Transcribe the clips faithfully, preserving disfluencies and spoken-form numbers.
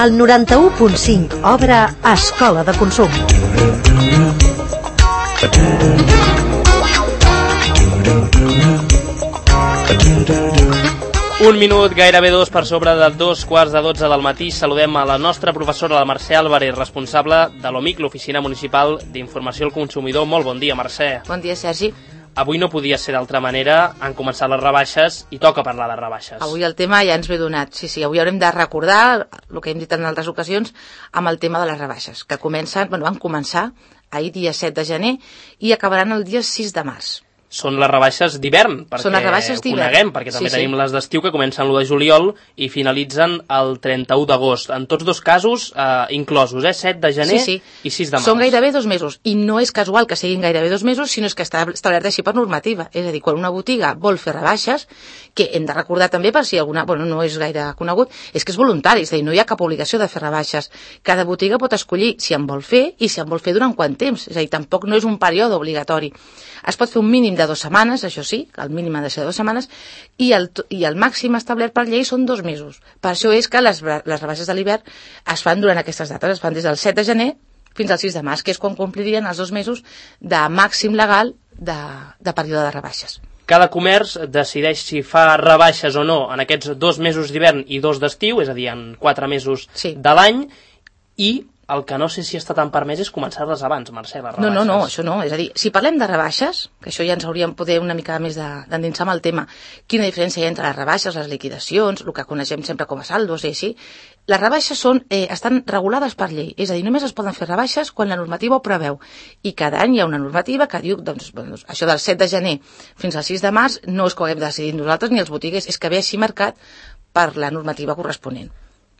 El noranta-u punt cinc obre Escola de Consum. Un minut, gairebé dos per sobre de dos quarts de dotze del matí. Saludem a la nostra professora, la Mercè Álvarez, responsable de l'O M I C, l'Oficina Municipal d'Informació al Consumidor. Molt bon dia, Mercè. Bon dia, Sergi. Avui no podia ser d'altra manera, han començat les rebaixes i toca parlar de rebaixes. Avui el tema ja ens ve donat. Sí, sí, avui haurem de recordar el que hem dit en altres ocasions amb el tema de les rebaixes, que comencen, bueno, van començar ahir dia set de gener i acabaran el dia sis de març. Són les rebaixes d'hivern, perquè Són les rebaixes ho coneguem, perquè també sí, tenim sí. les d'estiu que comencen l'u de juliol i finalitzen el trenta-u d'agost. En tots dos casos eh, inclosos, eh? set de gener sí, sí. i sis de març. Són gairebé dos mesos, i no és casual que siguin gairebé dos mesos, sinó és que està establert així per normativa. És a dir, quan una botiga vol fer rebaixes, que hem de recordar també per si alguna, bueno, no és gaire conegut, és que és voluntari, és a dir, no hi ha cap obligació de fer rebaixes. Cada botiga pot escollir si en vol fer i si en vol fer durant quant temps. És a dir, tampoc no és un període obligatori. Es pot fer un mínim de dues setmanes, això sí, el mínim ha de ser de dues setmanes, i el, i el màxim establert per llei són dos mesos. Per això és que les, les rebaixes de l'hivern es fan durant aquestes dates, es fan des del set de gener fins al sis de març, que és quan complirien els dos mesos de màxim legal de, de període de rebaixes. Cada comerç decideix si fa rebaixes o no en aquests dos mesos d'hivern i dos d'estiu, és a dir, en quatre mesos sí. de l'any, i el que no sé si està tan permès és començar-les abans, Mercè, les rebaixes. No, no, no, això no. És a dir, si parlem de rebaixes, que això ja ens hauríem poder una mica més d'endinsar amb el tema, quina diferència hi ha entre les rebaixes, les liquidacions, el que coneixem sempre com a saldos, i així, les rebaixes són, eh, estan regulades per llei. És a dir, només es poden fer rebaixes quan la normativa ho preveu. I cada any hi ha una normativa que diu, doncs, doncs això del set de gener fins al sis de març no és que ho haguem decidit nosaltres ni els botiguers, és que ve així marcat per la normativa corresponent.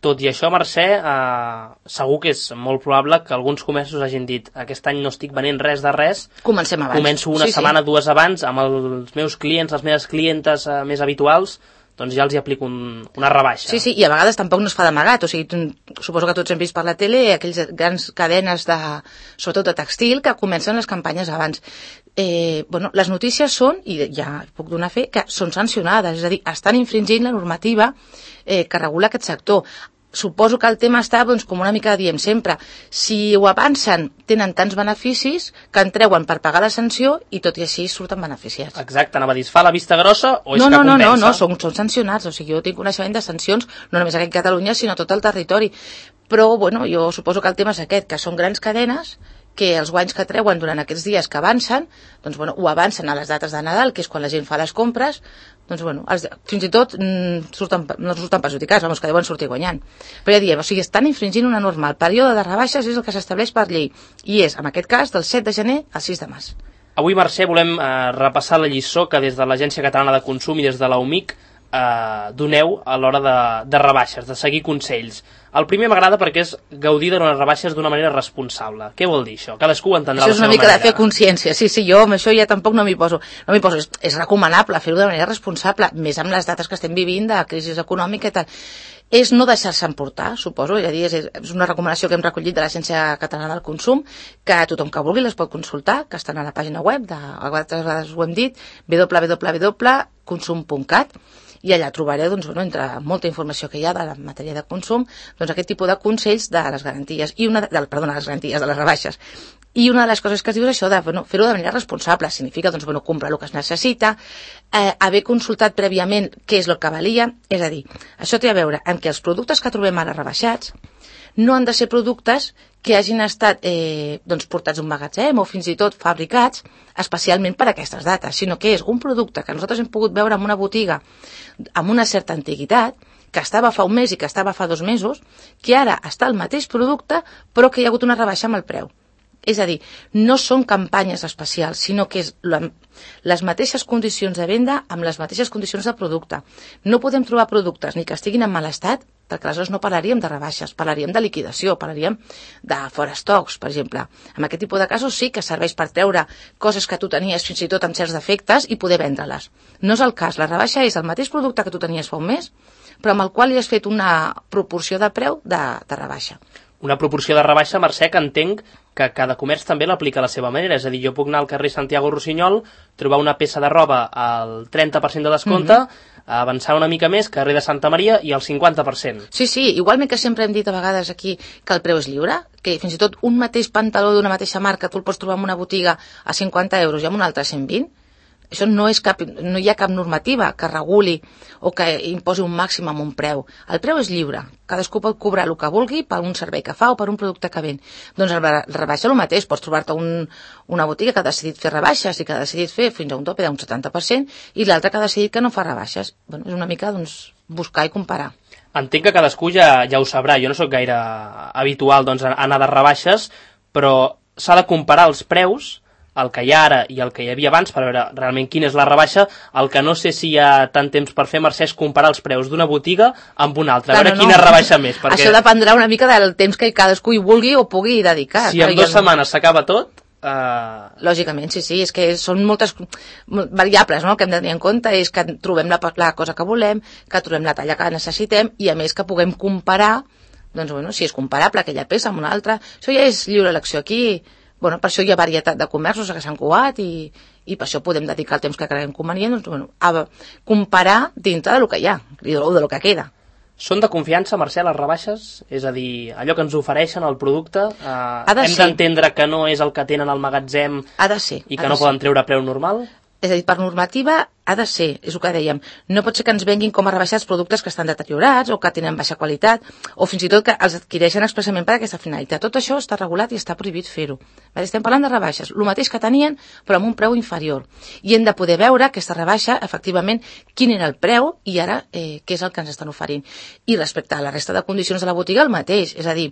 Tot i això, Mercè, eh, segur que és molt probable que alguns comerços hagin dit aquest any no estic venent res de res. Comencem abans. Començo una sí, setmana, sí. dues abans, amb els meus clients, les meves clientes eh, més habituals, doncs ja els hi aplico un, una rebaixa. Sí, sí, i a vegades tampoc no es fa d'amagat. O sigui, tu, suposo que tots hem vist per la tele aquells grans cadenes, de, sobretot de textil, que comencen les campanyes abans. Eh, bueno, les notícies són, i ja puc donar fe, que són sancionades, és a dir, estan infringint la normativa eh, que regula aquest sector. Suposo que el tema està, doncs, com una mica diem sempre, si ho avancen, tenen tants beneficis que en treuen per pagar la sanció i tot i així surten beneficiats. Exacte, anava a dir, es fa la vista grossa o és no, que no, compensa? No, no, no, són, són sancionats, o sigui, jo tinc coneixement de sancions, no només aquí a Catalunya, sinó a tot el territori. Però, bueno, jo suposo que el tema és aquest, que són grans cadenes, que els guanys que treuen durant aquests dies que avancen, doncs, bueno, ho avancen a les dates de Nadal, que és quan la gent fa les compres, doncs, bueno, els, fins i tot mm, surten, no surten perjudicats, vamos, que deuen sortir guanyant. Però ja diem, o sigui, estan infringint una norma. El període de rebaixes és el que s'estableix per llei, i és, en aquest cas, del set de gener al sis de març. Avui, Mercè, volem eh, repassar la lliçó que des de l'Agència Catalana de Consum i des de la O M I C eh, doneu a l'hora de, de rebaixes, de seguir consells. El primer m'agrada perquè és gaudir de les rebaixes d'una manera responsable. Què vol dir això? Cadascú ho entendrà això de la seva manera. Això és una mica de fer consciència. Sí, sí, jo amb això ja tampoc no m'hi poso. No m'hi poso. És, és recomanable fer-ho de manera responsable, més amb les dates que estem vivint de crisi econòmica i tal. És no deixar-se emportar, suposo, és a dir, és, és una recomanació que hem recollit de l'Agència Catalana del Consum, que tothom que vulgui les pot consultar, que estan a la pàgina web, de, altres vegades ho hem dit, w w w punt consum punt cat, i allà trobareu, doncs, bueno, entre molta informació que hi ha de la matèria de consum, doncs aquest tipus de consells de les garanties, i una, de, perdona, les garanties, de les rebaixes. I una de les coses que es diu és això de, bueno, fer-ho de manera responsable, significa, doncs, bueno, comprar el que es necessita, eh, haver consultat prèviament què és el que valia, és a dir, això té a veure amb que els productes que trobem ara rebaixats no han de ser productes que hagin estat eh, doncs, portats a un magatzem o fins i tot fabricats especialment per a aquestes dates, sinó que és un producte que nosaltres hem pogut veure en una botiga amb una certa antiguitat, que estava fa un mes i que estava fa dos mesos, que ara està el mateix producte però que hi ha hagut una rebaixa amb el preu. És a dir, no són campanyes especials, sinó que és la, les mateixes condicions de venda amb les mateixes condicions de producte. No podem trobar productes ni que estiguin en mal estat, perquè aleshores no parlaríem de rebaixes, parlaríem de liquidació, parlaríem de fora estocs, per exemple. En aquest tipus de casos sí que serveix per treure coses que tu tenies fins i tot amb certs defectes i poder vendre-les. No és el cas, la rebaixa és el mateix producte que tu tenies fa un mes, però amb el qual li has fet una proporció de preu de, de rebaixa. una proporció de rebaixa, Mercè, que entenc que cada comerç també l'aplica a la seva manera. És a dir, jo puc anar al carrer Santiago Rossinyol, trobar una peça de roba al trenta per cent de descompte, mm-hmm. avançar una mica més, carrer de Santa Maria, i al cinquanta per cent. Sí, sí, igualment que sempre hem dit a vegades aquí que el preu és lliure, que fins i tot un mateix pantaló d'una mateixa marca tu el pots trobar en una botiga a cinquanta euros i en una altra a cent vint. Això no, és cap, no hi ha cap normativa que reguli o que imposi un màxim amb un preu. El preu és lliure. Cadascú pot cobrar el que vulgui per un servei que fa o per un producte que ven. Doncs el rebaixa el mateix. Pots trobar-te un, una botiga que ha decidit fer rebaixes i que ha decidit fer fins a un tope d'un setanta per cent i l'altra que ha decidit que no fa rebaixes. Bueno, és una mica doncs, buscar i comparar. Entenc que cadascú ja, ja ho sabrà. Jo no sóc gaire habitual doncs, anar de rebaixes, però s'ha de comparar els preus, el que hi ha ara i el que hi havia abans, per veure realment quina és la rebaixa. El que no sé si hi ha tant temps per fer, Mercè, és comparar els preus d'una botiga amb una altra, a veure no, quina no. rebaixa més. Perquè això dependrà una mica del temps que cadascú hi vulgui o pugui dedicar. Si en dues setmanes s'acaba tot... Uh... Lògicament, sí, sí, és que són moltes variables, no? El que hem de tenir en compte és que trobem la, la cosa que volem, que trobem la talla que necessitem i a més que puguem comparar, doncs bueno, si és comparable aquella peça amb una altra, això ja és lliure elecció aquí. Bueno, per això hi ha varietat de comerços que s'han coat i, i per això podem dedicar el temps que creguem convenient doncs, bueno, a comparar dintre del que hi ha i del que queda. Són de confiança, Mercè, les rebaixes? És a dir, allò que ens ofereixen, el producte, eh, hem ser. d'entendre que no és el que tenen al magatzem ha de ser, i que no poden treure a preu normal? És a dir, per normativa ha de ser, és el que dèiem, no pot ser que ens venguin com a rebaixats productes que estan deteriorats o que tenen baixa qualitat o fins i tot que els adquireixen expressament per aquesta finalitat. Tot això està regulat i està prohibit fer-ho. Estem parlant de rebaixes, el mateix que tenien però amb un preu inferior. I hem de poder veure aquesta rebaixa, efectivament, quin era el preu i ara eh, què és el que ens estan oferint. I respecte a la resta de condicions de la botiga, el mateix, és a dir,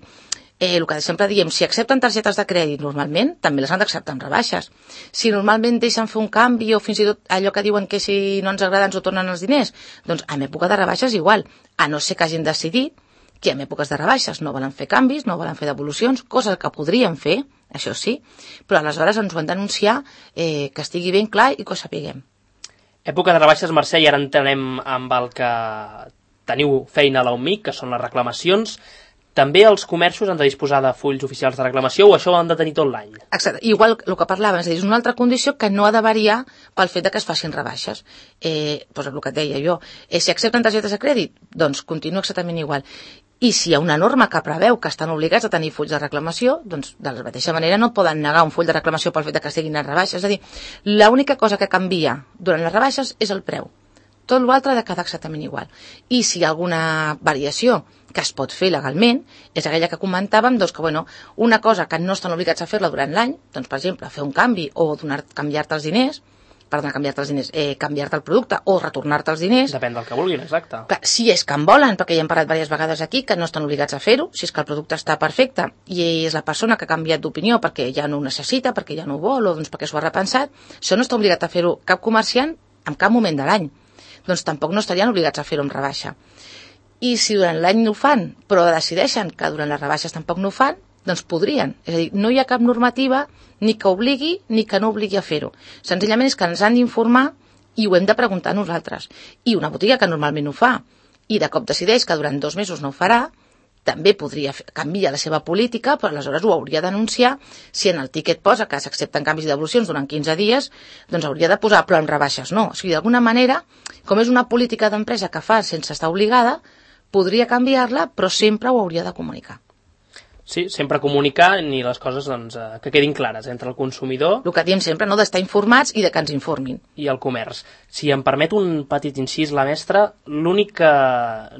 Eh, el que sempre diem, si accepten targetes de crèdit normalment, també les han d'acceptar amb rebaixes. Si normalment deixen fer un canvi o fins i tot allò que diuen que si no ens agrada ens ho tornen els diners, doncs en època de rebaixes igual, a no ser que hagin decidit que en èpoques de rebaixes no volen fer canvis, no volen fer devolucions, coses que podrien fer, això sí, però aleshores ens ho han d'anunciar eh, que estigui ben clar i que ho sapiguem. Època de rebaixes, Mercè, i ara entenem amb el que teniu feina a la U M I C, que són les reclamacions. També els comerços han de disposar de fulls oficials de reclamació o això ho han de tenir tot l'any? Exacte. Igual el que parlàvem, és a dir, és una altra condició que no ha de variar pel fet de que es facin rebaixes. Eh, doncs el que et deia jo, eh, si accepten targetes de crèdit, doncs continua exactament igual. I si hi ha una norma que preveu que estan obligats a tenir fulls de reclamació, doncs de la mateixa manera no poden negar un full de reclamació pel fet de que siguin en rebaixes. És a dir, l'única cosa que canvia durant les rebaixes és el preu. Tot l'altre ha de quedar exactament igual. I si hi ha alguna variació que es pot fer legalment, és aquella que comentàvem, doncs que bueno, una cosa que no estan obligats a fer-la durant l'any, doncs per exemple, fer un canvi o donar, canviar-te els diners, perdona, canviar-te els diners, eh, canviar-te el producte o retornar-te els diners. Depèn del que vulguin, exacte. Clar, si és que en volen, perquè ja hem parlat diverses vegades aquí, que no estan obligats a fer-ho, si és que el producte està perfecte i és la persona que ha canviat d'opinió perquè ja no ho necessita, perquè ja no ho vol o doncs perquè s'ho ha repensat, això no està obligat a fer-ho cap comerciant en cap moment de l'any. Doncs tampoc no estarien obligats a fer-ho amb rebaixa. I si durant l'any no ho fan, però decideixen que durant les rebaixes tampoc no ho fan, doncs podrien. És a dir, no hi ha cap normativa ni que obligui ni que no obligui a fer-ho. Senzillament és que ens han d'informar i ho hem de preguntar nosaltres. I una botiga que normalment ho fa i de cop decideix que durant dos mesos no ho farà, també podria canviar la seva política, però aleshores ho hauria d'anunciar. Si en el tiquet posa que s'accepten canvis i devolucions durant quinze dies, doncs hauria de posar, però en rebaixes no. O sigui, d'alguna manera, com és una política d'empresa que fa sense estar obligada, podria canviar-la, però sempre ho hauria de comunicar. Sí, sempre comunicar i les coses doncs, que quedin clares entre el consumidor... El que diem sempre, no?, d'estar informats i de que ens informin. I el comerç. Si em permet un petit incís, la mestra, l'únic que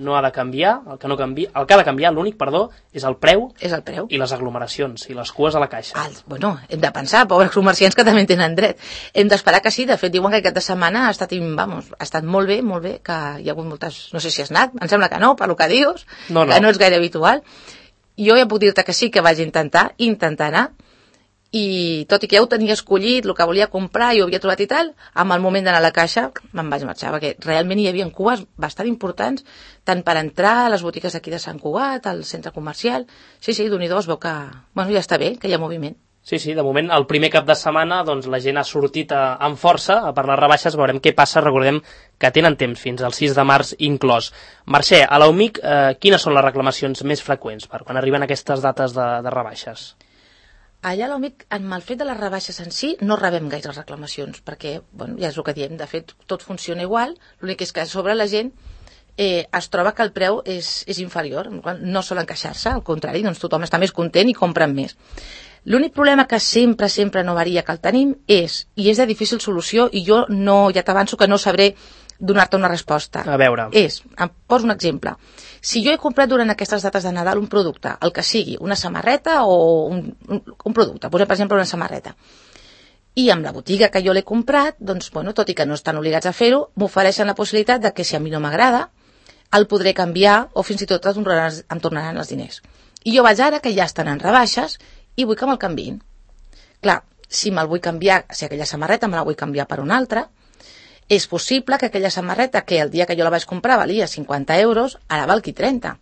no ha de canviar, el que, no canvia, el que ha de canviar, l'únic, perdó, és el preu, és el preu. I les aglomeracions, i les cues a la caixa. Ah, bueno, hem de pensar, pobres comerciants que també tenen dret. Hem d'esperar que sí, de fet, diuen que aquesta setmana ha estat, vamos, ha estat molt bé, molt bé, que hi ha hagut moltes... No sé si has anat, em sembla que no, per lo que dius, no, no. que no és gaire habitual. Jo ja puc dir-te que sí, que vaig intentar, intentar anar, i tot i que ja ho tenia escollit, el que volia comprar i ho havia trobat i tal, amb el moment d'anar a la caixa me'n vaig marxar, perquè realment hi havia cues bastant importants, tant per entrar a les botigues d'aquí de Sant Cugat, al centre comercial. Sí, sí, d'un i dos, veu que bueno, ja està bé, que hi ha moviment. Sí, sí, de moment, el primer cap de setmana doncs, la gent ha sortit a, amb força per les rebaixes, veurem què passa, recordem que tenen temps fins al sis de març inclòs. Mercè, a l'A U M I C, eh, quines són les reclamacions més freqüents per quan arriben aquestes dates de, de rebaixes? Allà a l'A U M I C, amb el fet de les rebaixes en si, no rebem gaire reclamacions, perquè, bueno, ja és el que diem, de fet, tot funciona igual, l'únic és que a sobre la gent eh, es troba que el preu és, és inferior, no solen queixar-se, al contrari, doncs tothom està més content i compren més. L'únic problema que sempre, sempre no varia que el tenim és, i és de difícil solució, i jo no, ja t'avanço que no sabré donar-te una resposta. A veure. És, em poso un exemple. Si jo he comprat durant aquestes dates de Nadal un producte, el que sigui, una samarreta o un, un, un producte, posem per exemple una samarreta, i amb la botiga que jo l'he comprat, doncs, bueno, tot i que no estan obligats a fer-ho, m'ofereixen la possibilitat de que si a mi no m'agrada, el podré canviar o fins i tot em tornaran, em tornaran els diners. I jo vaig ara que ja estan en rebaixes i vull que me'l canviïn. Clar, si me'l vull canviar, si aquella samarreta me la vull canviar per una altra, és possible que aquella samarreta que el dia que jo la vaig comprar valia cinquanta euros, ara valgui trenta.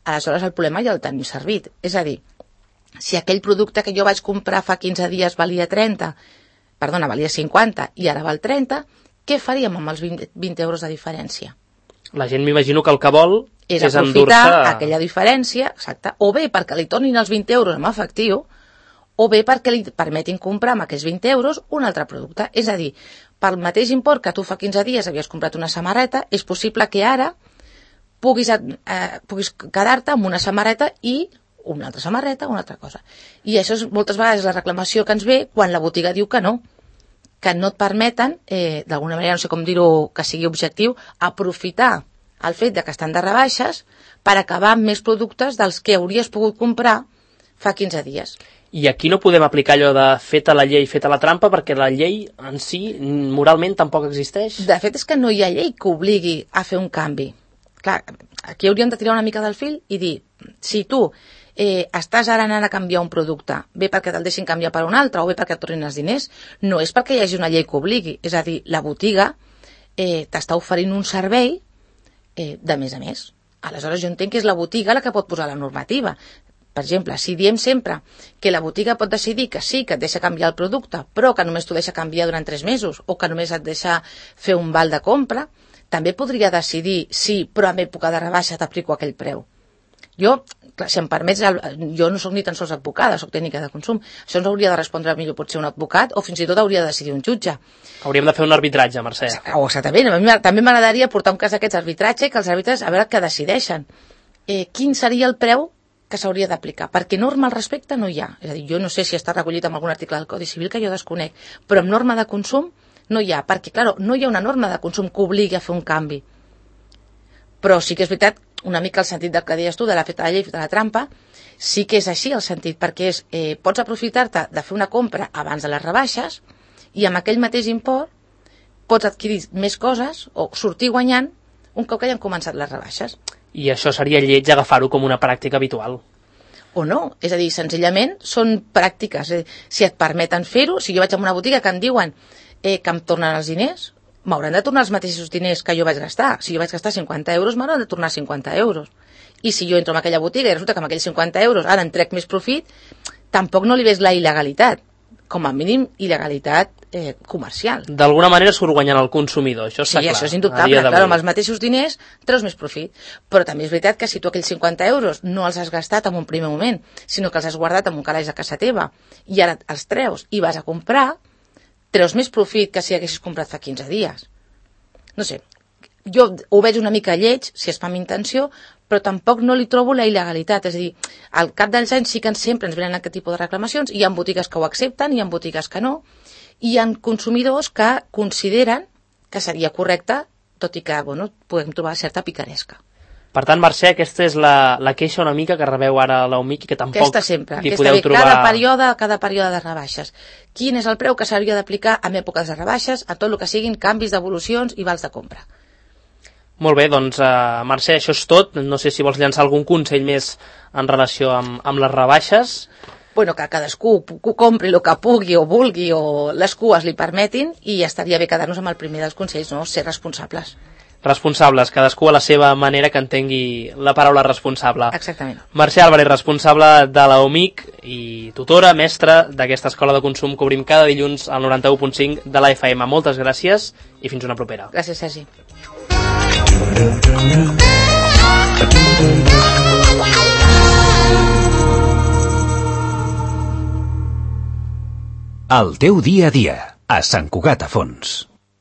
Aleshores el problema ja el tenim servit. És a dir, si aquell producte que jo vaig comprar fa quinze dies valia trenta, perdona, valia cinquanta i ara val trenta, què faríem amb els vint, vint euros de diferència? La gent m'imagino que el que vol és, és aprofitar aquella diferència, exacte, o bé perquè li tornin els vint euros en efectiu, o bé perquè li permetin comprar amb aquests vint euros un altre producte. És a dir, pel mateix import que tu fa quinze dies havies comprat una samarreta, és possible que ara puguis, eh, puguis quedar-te amb una samarreta i una altra samarreta, una altra cosa. I això és moltes vegades la reclamació que ens ve quan la botiga diu que no, que no et permeten, eh, d'alguna manera, no sé com dir-ho que sigui objectiu, aprofitar el fet de que estan de rebaixes per acabar amb més productes dels que hauries pogut comprar fa quinze dies. I aquí no podem aplicar allò de feta la llei, feta la trampa, perquè la llei en si moralment tampoc existeix. De fet és que no hi ha llei que obligui a fer un canvi. Clar, aquí hauríem de tirar una mica del fil i dir, si tu eh, estàs ara anant a canviar un producte, bé perquè te'l deixin canviar per un altre o bé perquè et tornin els diners, no és perquè hi hagi una llei que obligui. És a dir, la botiga eh, t'està oferint un servei eh, de més a més. Aleshores jo entenc que és la botiga la que pot posar la normativa. Per exemple, si diem sempre que la botiga pot decidir que sí, que et deixa canviar el producte, però que només t'ho deixa canviar durant tres mesos o que només et deixa fer un val de compra, també podria decidir sí, però en època de rebaixa t'aplico aquell preu. Jo, clar, si em permets, jo no sóc ni tan sols advocada, sóc tècnica de consum. Això ens hauria de respondre millor potser un advocat o fins i tot hauria de decidir un jutge. Hauríem de fer un arbitratge, Mercè. Oh, exactament. A mi també m'agradaria portar un cas d'aquests arbitratge i que els àrbitres a veure què decideixen. Eh, quin seria el preu que s'hauria d'aplicar? Perquè norma al respecte no hi ha. És a dir, jo no sé si està recollit en algun article del Codi Civil que jo desconec, però amb norma de consum no hi ha, perquè, clar, no hi ha una norma de consum que obligui a fer un canvi. Però sí que és veritat, una mica el sentit del que deies tu, de la feta de la llei, feta la trampa, sí que és així el sentit, perquè és, eh, pots aprofitar-te de fer una compra abans de les rebaixes i amb aquell mateix import pots adquirir més coses o sortir guanyant un cop que hayan començat les rebaixes. I això seria lleig agafar-ho com una pràctica habitual. O no, és a dir, senzillament són pràctiques. Eh? Si et permeten fer-ho, si jo vaig a una botiga que em diuen eh, que em tornen els diners, m'hauran de tornar els mateixos diners que jo vaig gastar. Si jo vaig gastar cinquanta euros, m'hauran de tornar cinquanta euros. I si jo entro en aquella botiga i resulta que amb aquells cinquanta euros ara en trec més profit, tampoc no li ves la il·legalitat. Com a mínim, il·legalitat eh, comercial. D'alguna manera surt guanyant el consumidor, això està sí, clar. Sí, això és indubtable. Clar, amb els mateixos diners treus més profit. Però també és veritat que si tu aquells cinquanta euros no els has gastat en un primer moment, sinó que els has guardat en un calaix a casa teva i ara els treus i vas a comprar, treus més profit que si haguessis comprat fa quinze dies. No sé, jo ho veig una mica lleig, si es fa amb intenció, però tampoc no li trobo la il·legalitat. És a dir, al cap dels anys sí que sempre ens venen aquest tipus de reclamacions, hi ha botigues que ho accepten, hi ha botigues que no, i hi ha consumidors que consideren que seria correcte, tot i que, bueno, podem trobar certa picaresca. Per tant, Mercè, aquesta és la, la queixa una mica que rebeu ara a l'A U M I C i que tampoc aquesta sempre, li aquesta podeu ve, trobar... Cada període, cada període de rebaixes. Quin és el preu que s'hauria d'aplicar en èpoques de rebaixes a tot el que siguin canvis d'evolucions i vals de compra? Molt bé, doncs, uh, Mercè, això és tot. No sé si vols llançar algun consell més en relació amb, amb les rebaixes. Bueno, que cadascú compri el que pugui o vulgui o les cues li permetin i estaria bé quedar-nos amb el primer dels consells, no? Ser responsables. responsables, cadascú a la seva manera que entengui la paraula responsable. Exactament. Mercè Álvarez, responsable de la U M I C i tutora, mestra d'aquesta escola de consum que obrim cada dilluns al noranta-u punt cinc de la F M. Moltes gràcies i fins una propera. Gràcies, Sergi. El teu dia a dia, a Sant Cugat a Fons.